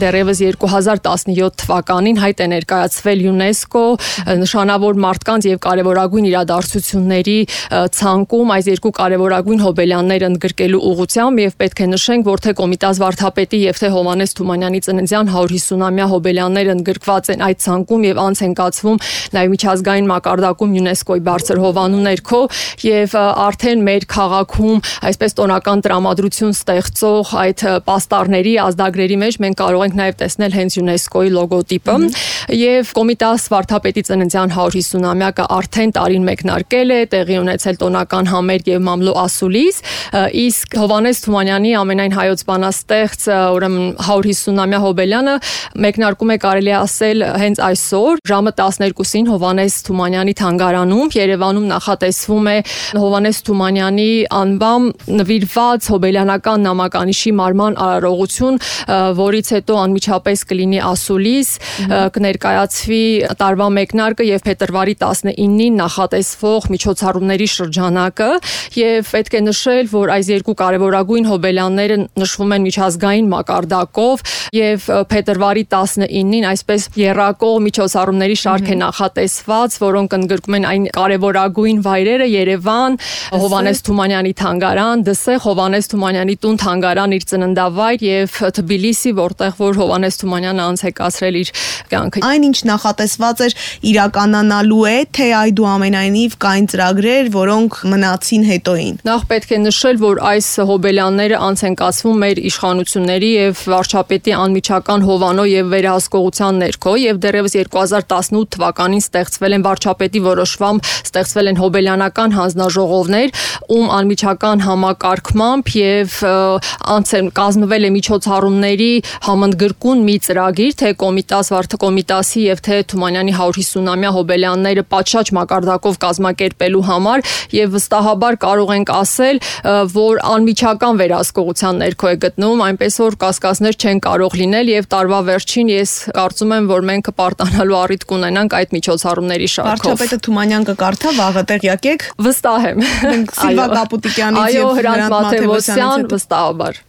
դեռևս 2017 թվականին հայտ է ներկայացվել ՅՈՒՆԵՍԿՕ նշանավոր մարդկանց եւ կարեւորագույն իրադարձությունների ցանկում այս երկու կարեւորագույն հոբելյաններ ընդգրկելու ուղղությամբ եւ պետք է նշենք, որ թե Կոմիտաս վարդապետի եւ թե Հովհաննես Թումանյանի ծննդյան 150-ամյա հոբելյանները ընդգրկված են այդ ցանկում եւ անց են կացվում նաեւ միջազգային մակարդակում ՅՈՒՆԵՍԿՕ-ի բարձր հովանու ներքո եւ արդեն մեր քաղաքում այսպես տոնական տրամադրություն ստեղծող այդ պաստառների ազդագրերի մեջ մենք կարող ենք նաեւ տեսնել հենց ՅՈՒՆԵՍԿՕ-ի լոգոտիպը եւ Կոմիտաս վարդապետի ծննդյան 150-ամյակը արդեն տարին մեկնարկել է, տեղի ունեցել տոնական համերգ եւ մամլո ասուլիս, իսկ Հովհաննես Թումանյանի ամենայն հայոց բանաստեղծ ուրեմն 150-ամյա հոբելյանը մեկնարկում է կարելի ասել հենց այսօր ժամը 12-ին Հովհաննես Թումանյանի թանգարանում Երևանում նախատեսվում է Հովհաննես Թումանյանի անվամ նվիրված հոբելյանական նամականիշի մարման արարողություն, որից հետո անմիջապես կլինի ասուլիս, կներկայացվի տարվա մեկնարկը եւ փետրվարի 19-ին նախատեսվող միջոցառումների շրջանակը եւ պետք է նշել, որ այս երկու կարեւորագույն հոբելյանները նշվում են միջազգային մակարդակով եւ փետրվարի 19-ին այսպես եռակող միջոցառումների շարք է նախատեսված, որոնք ընդգրկում են այն կարեւորագույն վայրերը Երևան, Հովհաննես Թումանյանի թանգարան, Դսեղ, Հովհաննես Թումանյանի տուն թանգարան իր ծննդավայր եւ Թբիլիսի, որտեղ որ Հովհաննես Թումանյանը անց է կացրել իր կյանքը։ Այն ինչ նախատեսված էր իրականանալու է, թե այդուամենայնիվ կային ծրագրեր, որոնք մնացին հետոին։ Նախ պետք է նշել, որ այս հոբելյանները անց են կացվում մեր իշխանությունների եւ վարչապետի անմիջական հովանո եւ վերահսկողության ներքո եւ դեռևս 2018 թվականին ստեղծվել են վարչապետի որոշմամբ ստեղծվել են հոբելյանական հանձնաժողովներ, ում անմիջական համակարգմամբ եւ անց են կազմվել է միջոցառումների համընդգրկուն մի ծրագիր, թե Կոմիտասի եւ թե Թումանյանի 150-ամյա հոբելյանները պատշաճ մակարդակով կազմակերպելու համար եւ վստահաբար կարող ենք ասել, որ անմիջական վերահսկողության ներքո է գտնվում, այնպես որ կասկածներ չեն կարող լինել եւ տարվա վերջին ես կարծում եմ, որ մենք կպարտանալու առիթ կունենանք այդ միջոցառումների շարքով։ Վարչապետը Թումանյան կկարդա վաղը տեղյակ եք։ Վստահ եմ։ Մենք Սիլվա Կապուտիկյանից եւ Հրանտ Մաթեոսյան վստահաբար։